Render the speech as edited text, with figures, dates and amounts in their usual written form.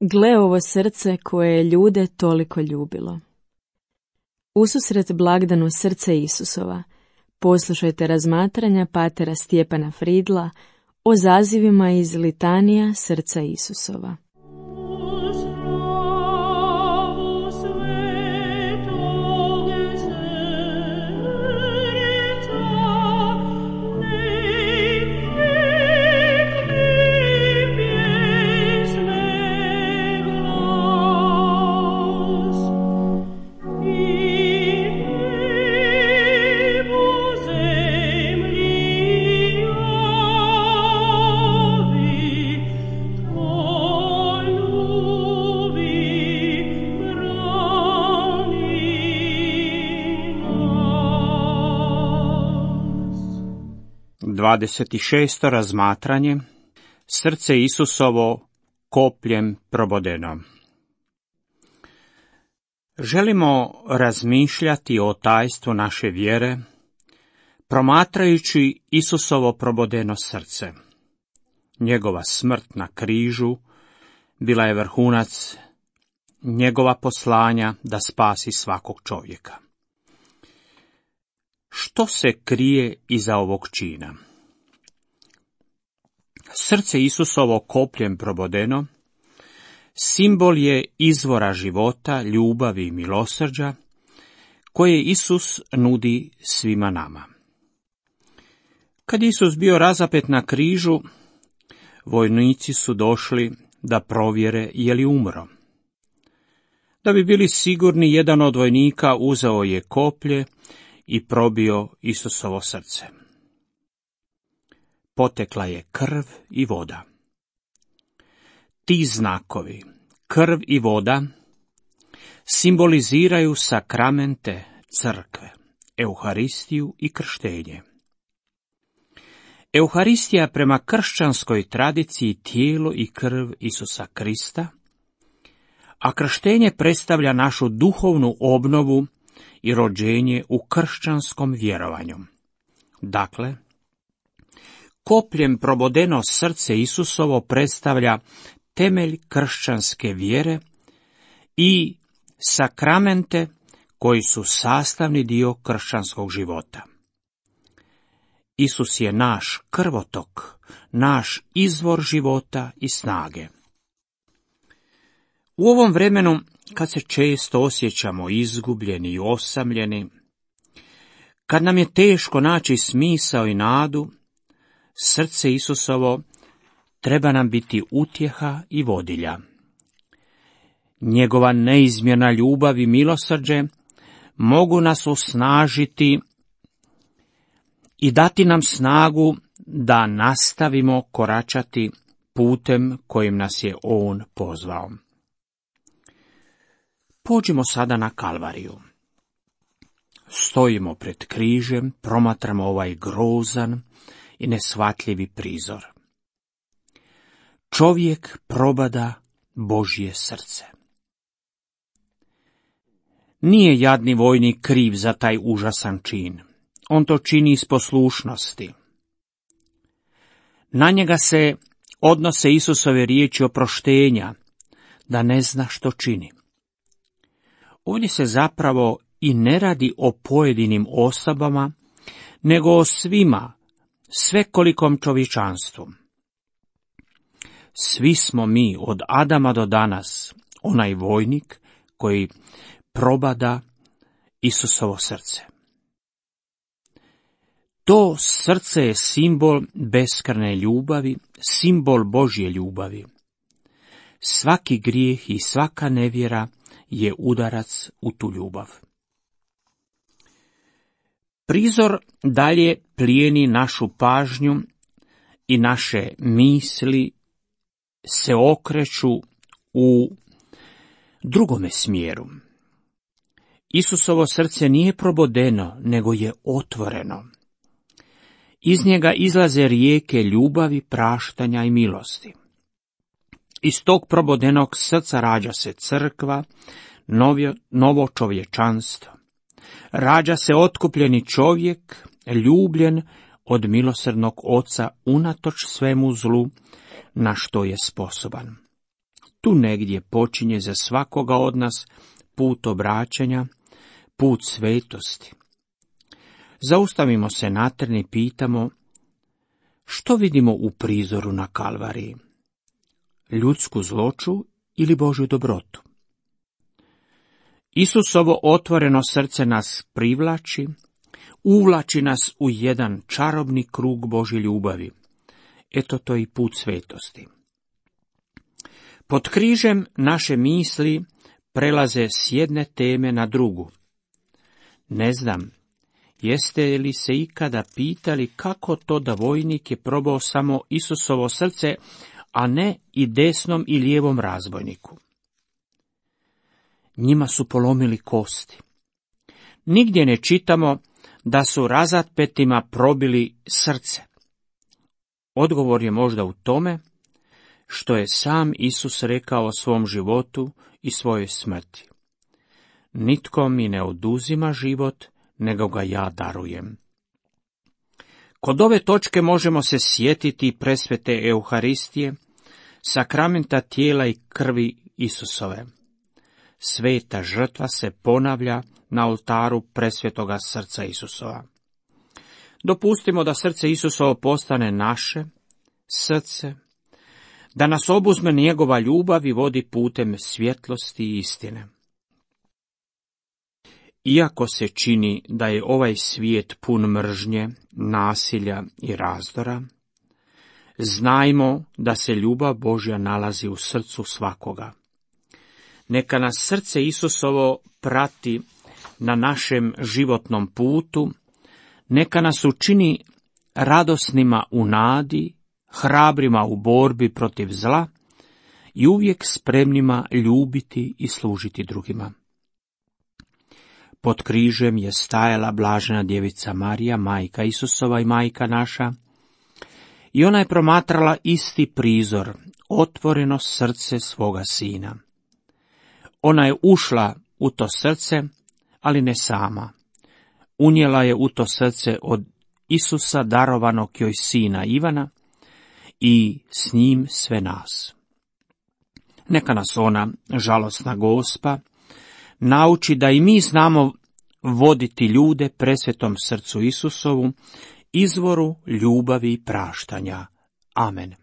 Gle ovo srce koje je ljude toliko ljubilo. Ususret blagdanu srce Isusova, poslušajte razmatranja patera Stjepana Fridla o zazivima iz litanija srca Isusova. Dvadeset šesto razmatranje. Srce Isusovo kopljem probodeno. Želimo razmišljati o tajstvu naše vjere, promatrajući Isusovo probodeno srce. Njegova smrt na križu bila je vrhunac njegova poslanja da spasi svakog čovjeka. Što se krije iza ovog čina? Srce Isusovo kopljem probodeno simbol je izvora života, ljubavi i milosrđa koje Isus nudi svima nama. Kad Isus bio razapet na križu, vojnici su došli da provjere je li umro. Da bi bili sigurni, jedan od vojnika uzeo je koplje i probio Isusovo srce. Potekla je krv i voda. Ti znakovi, krv i voda, simboliziraju sakramente crkve, Euharistiju i krštenje. Euharistija prema kršćanskoj tradiciji tijelo i krv Isusa Krista, a krštenje predstavlja našu duhovnu obnovu i rođenje u kršćanskom vjerovanju. Dakle, kopljem probodeno srce Isusovo predstavlja temelj kršćanske vjere i sakramente koji su sastavni dio kršćanskog života. Isus je naš krvotok, naš izvor života i snage. U ovom vremenu, kad se često osjećamo izgubljeni i osamljeni, kad nam je teško naći smisao i nadu, srce Isusovo treba nam biti utjeha i vodilja. Njegova neizmjerna ljubav i milosrđe mogu nas osnažiti i dati nam snagu da nastavimo koračati putem kojim nas je On pozvao. Pođimo sada na Kalvariju. Stojimo pred križem, promatramo ovaj grozan i neshvatljivi prizor. Čovjek probada Božje srce. Nije jadni vojnik kriv za taj užasan čin. On to čini iz poslušnosti. Na njega se odnose Isusove riječi oproštenja, da ne zna što čini. Ovdje se zapravo i ne radi o pojedinim osobama, nego o svima, svekolikom čovječanstvu. Svi smo mi od Adama do danas onaj vojnik koji probada Isusovo srce. To srce je simbol beskrajne ljubavi, simbol Božje ljubavi. Svaki grijeh i svaka nevjera je udarac u tu ljubav. Prizor dalje plijeni našu pažnju i naše misli se okreću u drugome smjeru. Isusovo srce nije probodeno, nego je otvoreno. Iz njega izlaze rijeke ljubavi, praštanja i milosti. Iz tog probodenog srca rađa se crkva, novo čovječanstvo. Rađa se otkupljeni čovjek, ljubljen od milosrdnog Oca unatoč svemu zlu na što je sposoban. Tu negdje počinje za svakoga od nas put obraćanja, put svetosti. Zaustavimo se na tren i pitamo, što vidimo u prizoru na Kalvariji? Ljudsku zloću ili Božju dobrotu? Isusovo otvoreno srce nas privlači, uvlači nas u jedan čarobni krug Božje ljubavi. Eto, to je i put svetosti. Pod križem naše misli prelaze s jedne teme na drugu. Ne znam, jeste li se ikada pitali kako to da vojnik je probao samo Isusovo srce, a ne i desnom i lijevom razbojniku? Njima su polomili kosti. Nigdje ne čitamo da su razatpetima probili srce. Odgovor je možda u tome što je sam Isus rekao o svom životu i svojoj smrti. Nitko mi ne oduzima život, nego ga ja darujem. Kod ove točke možemo se sjetiti presvete Euharistije, sakramenta tijela i krvi Isusove. Sveta žrtva se ponavlja na oltaru presvetoga srca Isusova. Dopustimo da srce Isusovo postane naše srce, da nas obuzme njegova ljubav i vodi putem svjetlosti i istine. Iako se čini da je ovaj svijet pun mržnje, nasilja i razdora, znajmo da se ljubav Božja nalazi u srcu svakoga. Neka nas srce Isusovo prati na našem životnom putu, neka nas učini radosnima u nadi, hrabrima u borbi protiv zla i uvijek spremnima ljubiti i služiti drugima. Pod križem je stajala blažena djevica Marija, majka Isusova i majka naša, i ona je promatrala isti prizor, otvoreno srce svoga sina. Ona je ušla u to srce, ali ne sama. Unijela je u to srce od Isusa darovanog joj sina Ivana i s njim sve nas. Neka nas ona, žalosna Gospa, nauči da i mi znamo voditi ljude presvetom srcu Isusovu, izvoru ljubavi i praštanja. Amen.